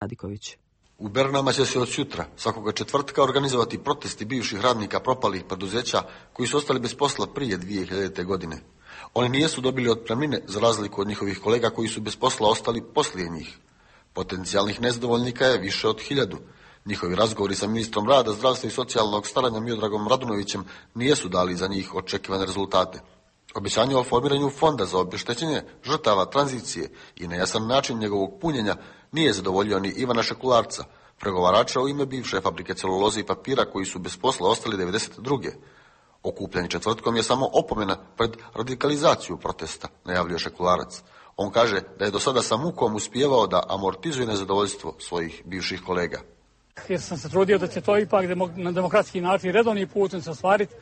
Radiković. U Bernama će se od sutra, svakoga četvrtka, organizovati protesti bivših radnika propalih preduzeća koji su ostali bez posla prije 2000. godine. Oni nijesu dobili otpremnine za razliku od njihovih kolega koji su bez posla ostali poslije njih. Potencijalnih nezadovoljnika je više od 1000. Njihovi razgovori sa ministrom rada, zdravstva i socijalnog staranja Miodragom Radunovićem nijesu dali za njih očekivane rezultate. Obećanje o formiranju fonda za obeštećenje žrtava tranzicije i nejasan način njegovog punjenja nije zadovoljio ni Ivana Šekularca, pregovarača u ime bivše fabrike celuloze i papira koji su bez posla ostali 92. Okupljanje četvrtkom je samo opomena pred radikalizaciju protesta, najavljuje Šekularac. On kaže da je do sada sa mukom uspijevao da amortizuje nezadovoljstvo svojih bivših kolega. Jer sam se trudio da će to ipak na demokratski način redovni putem se ostvariti,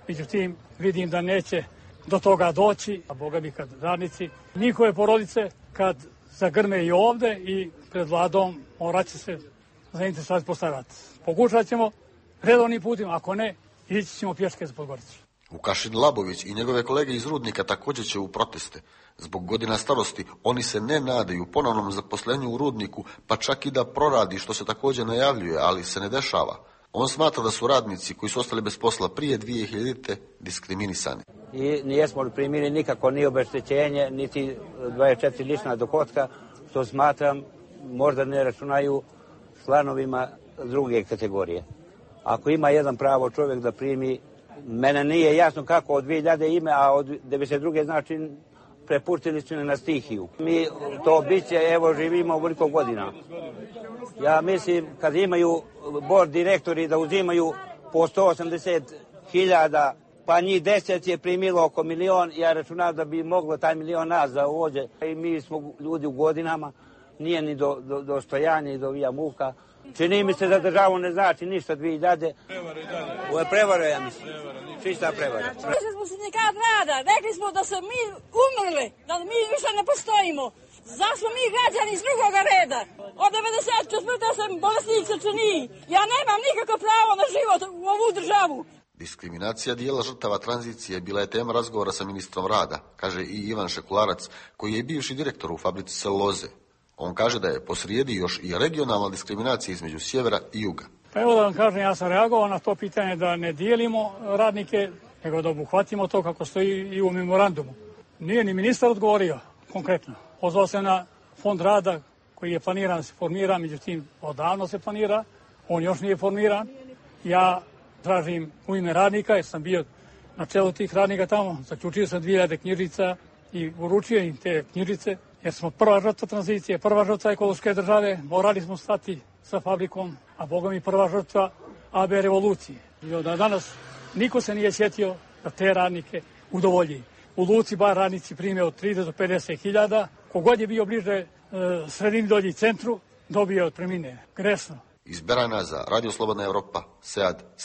međutim vidim da neće do toga doći, a boga mi kad radnici, njihove porodice kad zagrme i ovde i pred vladom morat će se zainteresovati postavljati. Pokušat ćemo redovnim putem, ako ne, ići ćemo pješke za Podgoricu. Vukašin Labović i njegove kolege iz Rudnika također će u proteste. Zbog godina starosti oni se ne nadaju ponovnom zaposlenju u Rudniku, pa čak i da proradi, što se također najavljuje, ali se ne dešava. On smatra da su radnici koji su ostali bez posla prije 2000. diskriminisani. I nijesmo li primili nikako ni obeštećenje, niti 24 lična dohotka, što smatram možda ne računaju članovima druge kategorije. Ako ima jedan pravo čovjek da primi, mene nije jasno kako od 2000 ime, a od 92. znači prepustili su na stihiju. Mi to biće, evo živimo ovoliko godina. Ja mislim kad imaju bord direktori da uzimaju po 180.000, pa njih 10 je primilo oko 1 milion, ja računam da bi moglo taj 1 milion nas da uđe. I mi smo ljudi u godinama, nije ni do stojanja i do vija muka. Čini mi se da državu ne znači ništa 2000. Ovo je prevara, ja mislim. Čista prevara. Rekli smo sindikat rada, rekli smo da se mi umrli, da mi više ne postojimo. Zašto mi građani iz drugoga reda? Od 94. sam bolesnik srčanih. Ja nemam nikakvo pravo na život u ovu državu. Diskriminacija dijela žrtava tranzicije bila je tema razgovora sa ministrom rada, kaže i Ivan Šekularac, koji je bivši direktor u fabrici celuloze. On kaže da je posrijedi još i regionalna diskriminacija između sjevera i juga. Pa evo da vam kažem, ja sam reagovao na to pitanje da ne dijelimo radnike, nego da obuhvatimo to kako stoji i u memorandumu. Nije ni ministar odgovorio konkretno. Pozvao se na fond rada koji je planiran da se formira, međutim odavno se planira, on još nije formiran. Ja tražim u ime radnika, jer sam bio na čelu tih radnika tamo, zaključio sam 2000 knjižica i uručio im te knjižice, jer smo prva žrtva tranzicije, prva žrtva ekološke države, morali smo stati sa fabrikom, a boga mi prva žrtva AB revolucije. I od danas niko se nije sjetio da te radnike udovolji. U Luci bar radnici prime od 30 do 50.000, kogod je bio bliže sredini dolji centru, dobio otpremnine. Grešno. Iz Berana za Radio Slobodna Evropa, Sead